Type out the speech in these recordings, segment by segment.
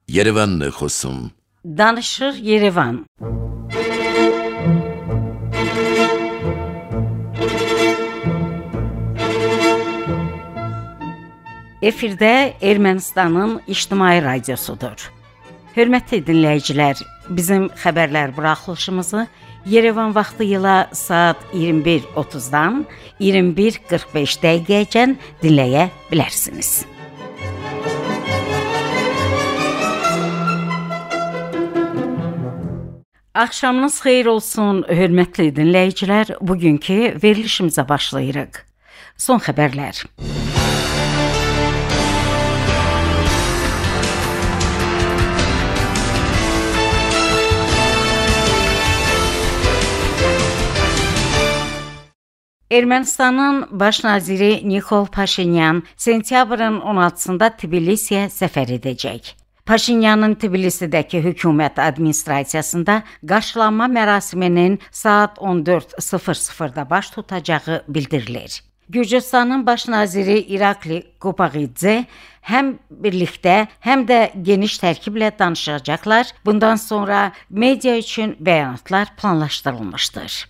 Yerevan Xosum. Danışır Yerevan. Efirdə Ermənistanın ictimai radiosudur. Hörmətli dinləyicilər, bizim xəbərlər buraxılışımızı Yerevan vaxtı ilə saat 21:30-dan 21:45 dəqiqəyəcən dinləyə bilərsiniz. Axşamınız xeyir olsun, hörmətli dinləyicilər. Bugünkü verilişimizə başlayırıq. Son xəbərlər. Ermənistanın baş naziri Nikol Paşinyan sentyabrın 16-sında Tbilisiyə səfər edəcək. Paşinyanın Tbilisidəki hökumət administrasiyasında qarşılanma mərasiminin saat 14:00-da baş tutacağı bildirilir. Gürcüstanın baş naziri İrakli Kopağidze həm birlikdə, həm də geniş tərkiblə danışacaqlar. Bundan sonra media üçün bəyanatlar planlaşdırılmışdır.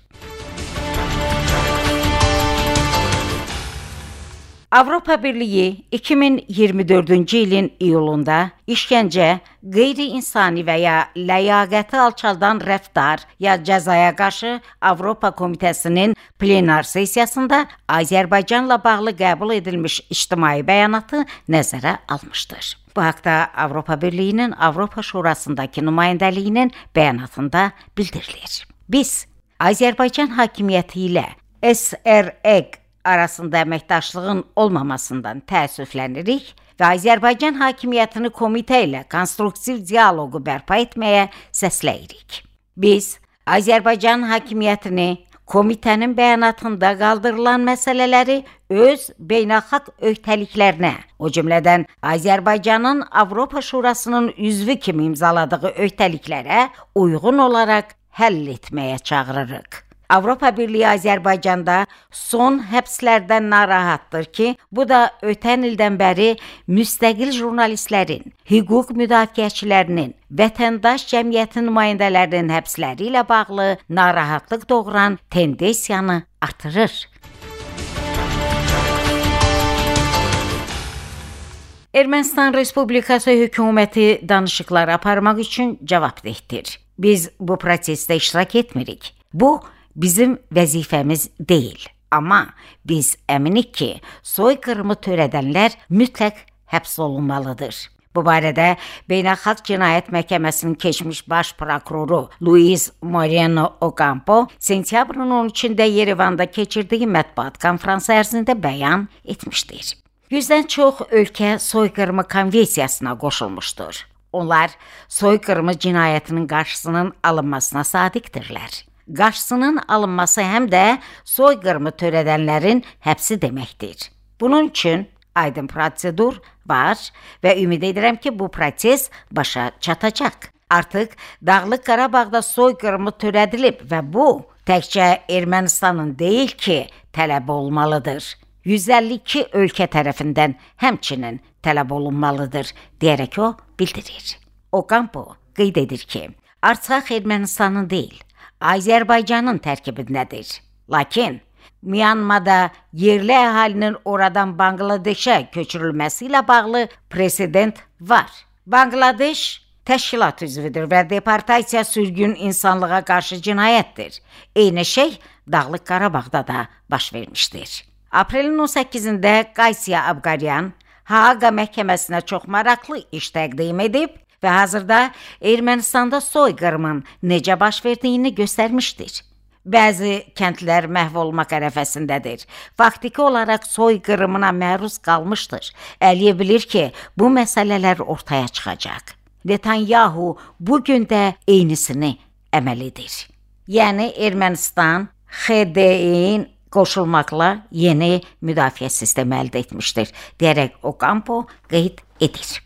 Avropa Birliyi 2024-cü ilin iyulunda işgəncə, qeyri-insani və ya ləyaqəti alçaldan rəftar ya cəzaya qarşı Avropa Komitəsinin plenar sessiyasında Azərbaycanla bağlı qəbul edilmiş ictimai bəyanatı nəzərə almışdır. Bu haqda Avropa Birliyinin Avropa Şurasındakı nümayəndəliyinin bəyanatında bildirilir. Biz Azərbaycan hakimiyyəti ilə SREQ arasında əməkdaşlığın olmamasından təəssüflənirik və Azərbaycan hakimiyyətini komitə ilə konstruktiv dialoqu bərpa etməyə səsləyirik. Biz Azərbaycan hakimiyyətini komitənin bəyanatında qaldırılan məsələləri öz beynəlxalq öhdəliklərinə, o cümlədən Azərbaycanın Avropa Şurasının üzvü kimi imzaladığı öhdəliklərə uyğun olaraq həll etməyə çağırırıq. Avropa Birliyi Azərbaycanda son həbslərdən narahatdır ki, bu da ötən ildən bəri müstəqil jurnalistlərin, hüquq müdafiəçilərinin, vətəndaş cəmiyyəti nümayəndələrinin həbsləri ilə bağlı narahatlıq doğuran tendensiyanı artırır. Ermənistan Respublikası hökuməti danışıqlar aparmaq üçün cavabdehdir. Biz bu prosesdə iştirak etmirik. Bu bizim vəzifəmiz deyil. Amma biz əminik ki, soyqırımı törədənlər mütləq həbs olunmalıdır. Bu barədə Beynəlxalq Cinayət Məhkəməsinin keçmiş baş prokuroru Luis Moreno Ocampo sentyabrın 13-də Yerevanda keçirdiyi mətbuat konfransı ərzində bəyan etmişdir. 100-dən çox ölkə soyqırımı konvensiyasına qoşulmuşdur. Onlar soyqırımı cinayətinin qarşısının alınmasına sadiqdirlər. Qarşısının alınması həm də soyqırımı törədənlərin həbsi deməkdir. Bunun üçün aydın prosedur var və ümid edirəm ki, bu proses başa çatacaq. Artıq Dağlıq Qarabağda soyqırımı törədilib və bu təkcə Ermənistanın deyil ki, tələb olmalıdır. 152 ölkə tərəfindən həmçinin tələb olunmalıdır, deyərək o bildirir. Ocampo qeyd edir ki, Artsaq Ermənistanın deyil, Azərbaycanın tərkibindədir. Lakin Myanmada yerli əhalinin oradan Bangladeşə köçürülməsi ilə bağlı president var. Bangladeş təşkilat üzvüdür və deportasiya sürgün insanlığa qarşı cinayətdir. Eyni şey Dağlıq Qarabağda da baş vermişdir. Aprelin 18-də Qaysiya Abqaryan Haaqa məhkəməsinə çox maraqlı iş təqdim edib və hazırda Ermənistanda soyqırımın necə baş verdiyini göstərmişdir. Bəzi kəndlər məhv olmaq ərəfəsindədir. Faktiki olaraq soyqırımına məruz qalmışdır. Əliyev bilir ki, bu məsələlər ortaya çıxacaq. Netanyahu bugün də eynisini əməl edir. Yəni Ermənistan XDİ-nin qoşulmaqla yeni müdafiə sistemi əldə etmişdir, deyərək Ocampo qeyd edir.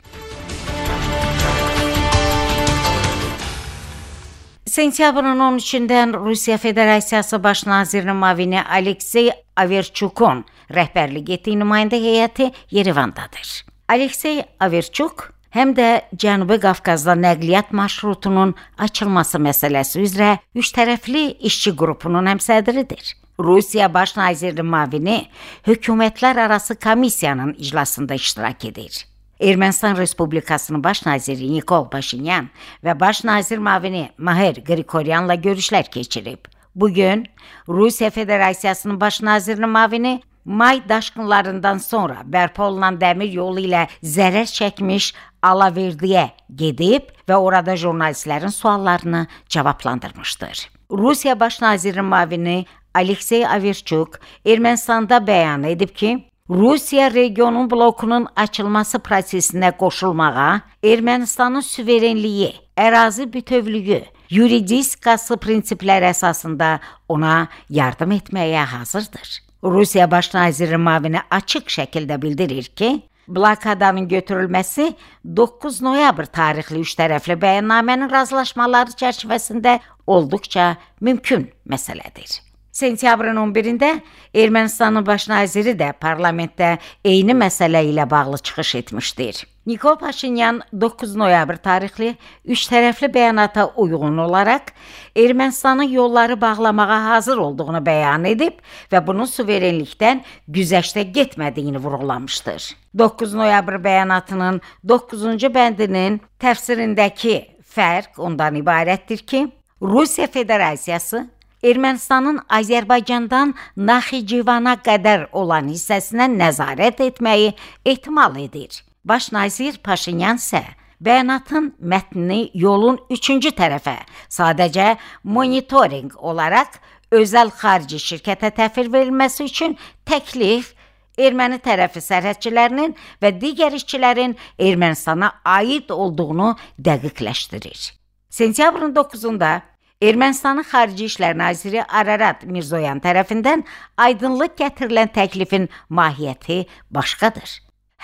Sentyabrın 13-dən Rusiya Federasiyası Baş nazirinin müavini Aleksey Averchukun rəhbərlik etdiyi nümayəndə heyəti Yerevandadır. Aleksey Averchuk həm də Cənubi Qafqazda nəqliyyat marşrutunun açılması məsələsi üzrə üçtərəfli işçi qrupunun həmsədridir. Rusiya Baş nazirinin müavini hökumətlərarası komissiyanın iclasında iştirak edir. Ermənistan Respublikasının Baş naziri Nikol Paşinyan və Baş nazir müavini Mahir Qriqoryanla görüşlər keçirib. Bugün Rusiya Federasiyasının Baş nazirinin müavini may daşqınlarından sonra bərpa olunan dəmir yolu ilə zərər çəkmiş Alaverdiyə gedib və orada jurnalistlərin suallarını cavablandırmışdır. Rusiya Baş nazirinin müavini Aleksey Averchuk Ermənistanda bəyan edib ki, Rusiya regionun blokunun açılması prosesinə qoşulmağa, Ermənistanın suverenliyi, ərazi bütövlüyü, yuridikası prinsiplər əsasında ona yardım etməyə hazırdır. Rusiya Baş nazirinin müavini açıq şəkildə bildirir ki, blokadanın götürülməsi 9 noyabr tarixli üçtərəfli bəyannamənin razılaşmaları çərçivəsində olduqca mümkün məsələdir. Sentyabrın 11-də Ermənistanın baş naziri də parlamentdə eyni məsələ ilə bağlı çıxış etmişdir. Nikol Paşinyan 9 noyabr tarixli üçtərəfli bəyanata uyğun olaraq Ermənistanın yolları bağlamağa hazır olduğunu bəyan edib və bunun suverenlikdən güzəştə getmədiyini vurğulamışdır. 9 noyabr bəyanatının 9-cu bəndinin təfsirindəki fərq ondan ibarətdir ki, Rusiya Federasiyası Ermənistanın Azərbaycandan Naxçıvana qədər olan hissəsinə nəzarət etməyi ehtimal edir. Baş nazir Paşinyan isə bəyanatın mətnini yolun 3-cü tərəfə sadəcə monitorinq olaraq özəl xarici şirkətə təhvil verilməsi üçün təklif erməni tərəfi sərhədçilərinin və digər işçilərin Ermənistana aid olduğunu dəqiqləşdirir. Sentyabrın 9-da Ermənistanın Xarici İşlər naziri Ararat Mirzoyan tərəfindən aydınlıq gətirilən təklifin mahiyyəti başqadır.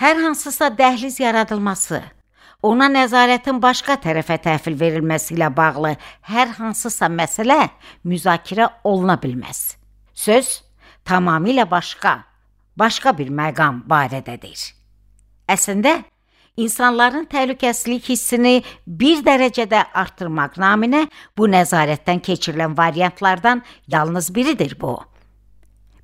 Hər hansısa dəhliz yaradılması, ona nəzarətin başqa tərəfə təhvil verilməsi ilə bağlı hər hansısa məsələ müzakirə oluna bilməz. Söz tamamilə başqa bir məqam barədədir. Əslində, İnsanların təhlükəsizlik hissini bir dərəcədə artırmaq naminə bu nəzarətdən keçirilən variantlardan yalnız biridir bu.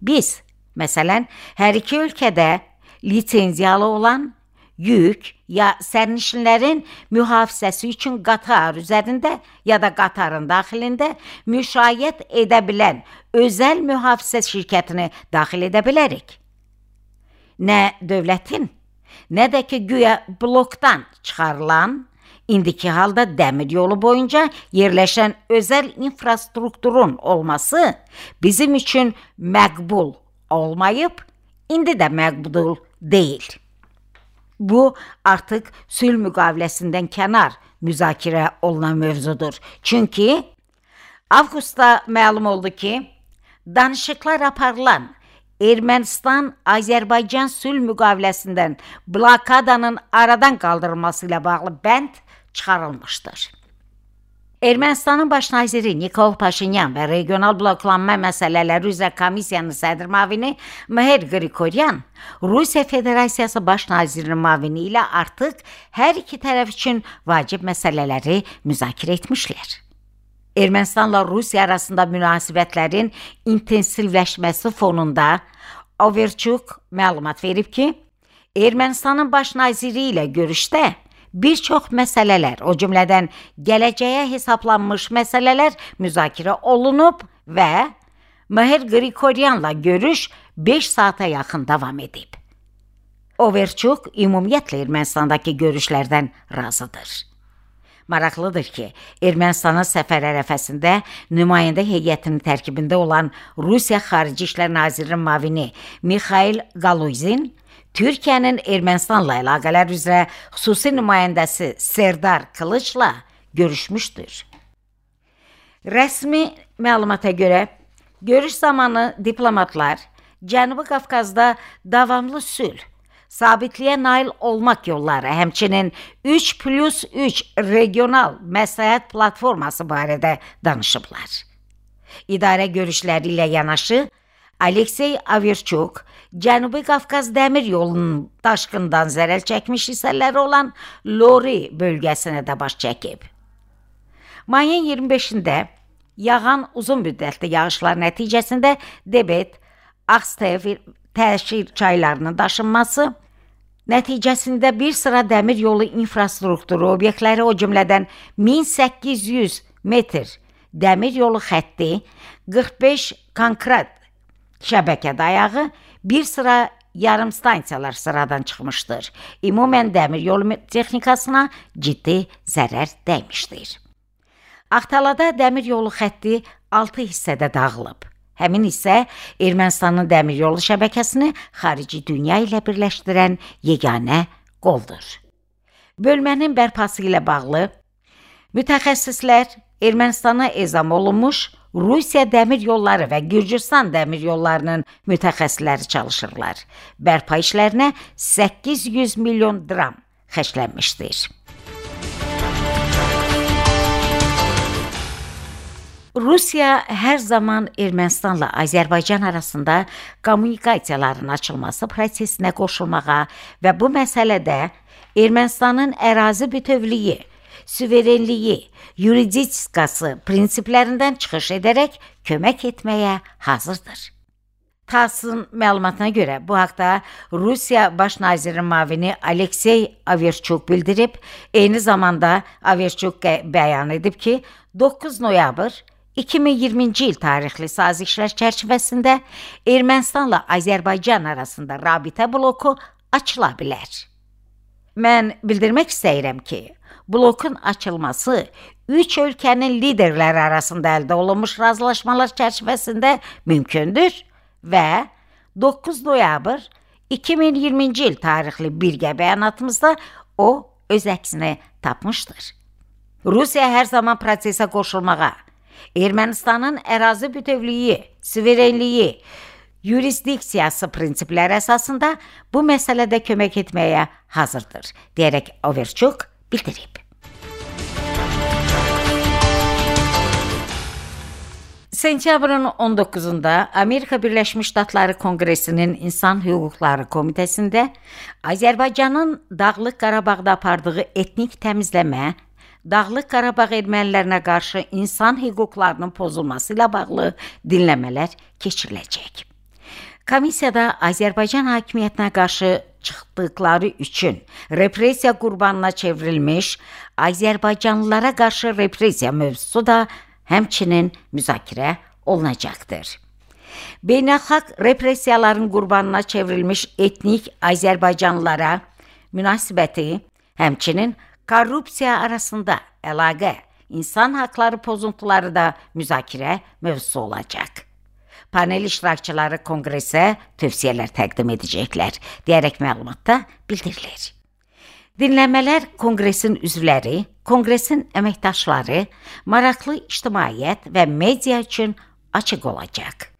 Biz, məsələn, hər iki ölkədə lisenziyalı olan yük ya sərnişinlərin mühafizəsi üçün qatar üzərində ya da qatarın daxilində müşayiət edə bilən özəl mühafizə şirkətini daxil edə bilərik. Nə dövlətin, nə də ki güya blokdan çıxarılan, indiki halda dəmir yolu boyunca yerləşən özəl infrastrukturun olması bizim üçün məqbul olmayıb, indi də məqbul deyil. Bu, artıq sülh müqaviləsindən kənar müzakirə olunan mövzudur. Çünki avqustda məlum oldu ki, danışıqlar aparılan Ermənistan-Azərbaycan sülh müqaviləsindən blokadanın aradan qaldırılması ilə bağlı bənd çıxarılmışdır. Ermənistanın baş naziri Nikol Paşinyan və regional bloklanma məsələləri üzrə komissiyanın sədr müavini Mahir Qriqoryan Rusiya Federasiyası baş nazirinin müavini ilə artıq hər iki tərəf üçün vacib məsələləri müzakirə etmişlər. Ermənistanla Rusiya arasında münasibətlərin intensivləşməsi fonunda Averchuk məlumat verib ki, Ermənistanın baş naziri ilə görüşdə bir çox məsələlər, o cümlədən gələcəyə hesablanmış məsələlər müzakirə olunub və Mahir Qriqoryanla görüş 5 saata yaxın davam edib. Averchuk ümumiyyətlə Ermənistandakı görüşlərdən razıdır. Maraqlıdır ki, Ermənistanın səfər ərəfəsində nümayəndə heyətinin tərkibində olan Rusiya Xarici İşlər Nazirinin müavini Mikhail Galuzin, Türkiyənin Ermənistanla əlaqələr üzrə xüsusi nümayəndəsi Serdar Kılıçla görüşmüşdür. Rəsmi məlumata görə, görüş zamanı diplomatlar Cənubi Qafqazda davamlı sülh, sabitliyə nail olmaq yolları, həmçinin 3+3 regional məsləhət platforması barədə danışıblar. İdarə görüşləri ilə yanaşı, Aleksey Averchuk Cənubi Qafqaz dəmir yolunun daşqından zərər çəkmiş hissələri olan Lori bölgəsinə də baş çəkib. Mayın 25-də yağan uzun müddətli yağışlar nəticəsində Debet, Akstev təşkil çaylarının daşınması nəticəsində bir sıra dəmir yolu infrastrukturu obyektləri, o cümlədən 1800 metr dəmir yolu xətti, 45 konkret şəbəkə dayağı, bir sıra yarım stansiyalar sıradan çıxmışdır. Ümumən dəmir yolu texnikasına ciddi zərər dəymişdir. Axtalada dəmir yolu xətti 6 hissədə dağılıb. Həmin hissə Ermənistanın dəmir yolu şəbəkəsini xarici dünya ilə birləşdirən yeganə qoldur. Bölmənin bərpası ilə bağlı mütəxəssislər Ermənistana ezam olunmuş Rusiya dəmir yolları və Gürcüstan dəmir yollarının mütəxəssisləri çalışırlar. Bərpa işlərinə 800 milyon dram xərclənmişdir. Rusiya hər zaman Ermənistanla Azərbaycan arasında kommunikasiyaların açılması prosesinə qoşulmağa və bu məsələdə Ermənistanın ərazi bütövlüyü, suverenliyi, yuridikası prinsiplərindən çıxış edərək kömək etməyə hazırdır. TASS-ın məlumatına görə bu haqda Rusiya Baş nazirinin müavini Aleksey Averchuk bildirib, eyni zamanda Averchuk bəyan edib ki, 9 noyabr 2020-ci il tarixli sazişlər çərçivəsində Ermənistanla Azərbaycan arasında rabitə bloku açıla bilər. Mən bildirmək istəyirəm ki, blokun açılması 3 ölkənin liderləri arasında əldə olunmuş razılaşmalar çərçivəsində mümkündür və 9 noyabr 2020-ci il tarixli birgə bəyanatımızda o öz əksini tapmışdır. Rusiya hər zaman prosesə qoşulmağa, Ermənistanın ərazi bütövlüyü, suverenliyi, yurisdiksiyası prinsipləri əsasında bu məsələdə kömək etməyə hazırdır, deyərək Averchuk bildirib. Sentyabrın 19-da Amerika Birləşmiş Ştatları Konqresinin İnsan Hüquqları Komitəsində Azərbaycanın Dağlıq Qarabağda apardığı etnik təmizləmə, Dağlıq Qarabağ ermənilərinə qarşı insan hüquqlarının pozulması ilə bağlı dinləmələr keçiriləcək. Komissiyada Azərbaycan hakimiyyətinə qarşı çıxdıqları üçün repressiya qurbanına çevrilmiş Azərbaycanlılara qarşı repressiya mövzusu da həmçinin müzakirə olunacaqdır. Beynəlxalq repressiyaların qurbanına çevrilmiş etnik Azərbaycanlılara münasibəti, həmçinin korrupsiya arasında əlaqə, insan haqları pozuntuları da müzakirə mövzusu olacaq. Panel iştirakçıları konqresə tövsiyələr təqdim edəcəklər, deyərək məlumatda bildirilir. Dinləmələr konqresin üzvləri, konqresin əməkdaşları, maraqlı ictimaiyyət və media üçün açıq olacaq.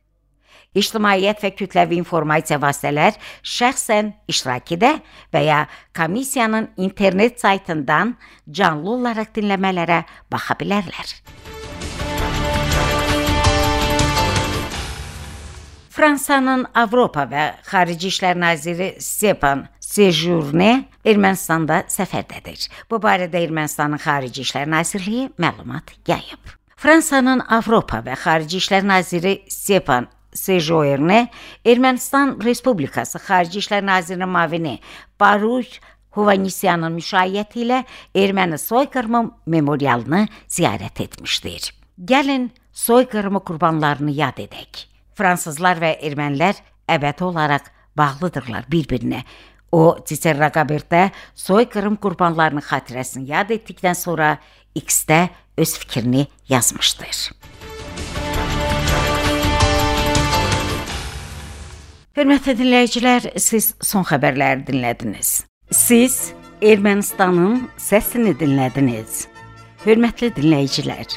İctimaiyyət və kütləvi informasiya vasitələr şəxsən iştirak edə və ya komissiyanın internet saytından canlı olaraq dinləmələrə baxa bilərlər. Fransanın Avropa və Xarici İşlər naziri Stepan Sejourne Ermənistanda səfərdədir. Bu barədə Ermənistanın Xarici İşlər Nazirliyi məlumat yayıb. Fransanın Avropa və Xarici İşlər naziri Stepan Sejourne Ermənistan Respublikası Xarici İşlər Nazirinin müavini Baruch Hovanesyanın müşayiəti ilə erməni soyqırımı memorialını ziyarət etmişdir. Gəlin soyqırımı qurbanlarını yad edək. Fransızlar və ermənilər əbədi olaraq bağlıdırlar bir-birinə. O, Twitter rəqabətdə soyqırım qurbanlarının xatirəsini yad etdikdən sonra X-də öz fikrini yazmışdır. Hörmətli dinləyicilər, siz son xəbərləri dinlədiniz. Siz Ermənistanın səsini dinlədiniz. Hörmətli dinləyicilər,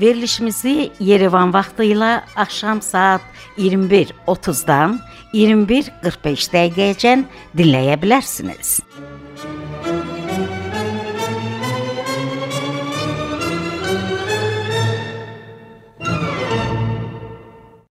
verilişimizi Yerevan vaxtı ilə axşam saat 21:30-dan 21:45 dəqiqəyəcən dinləyə bilərsiniz.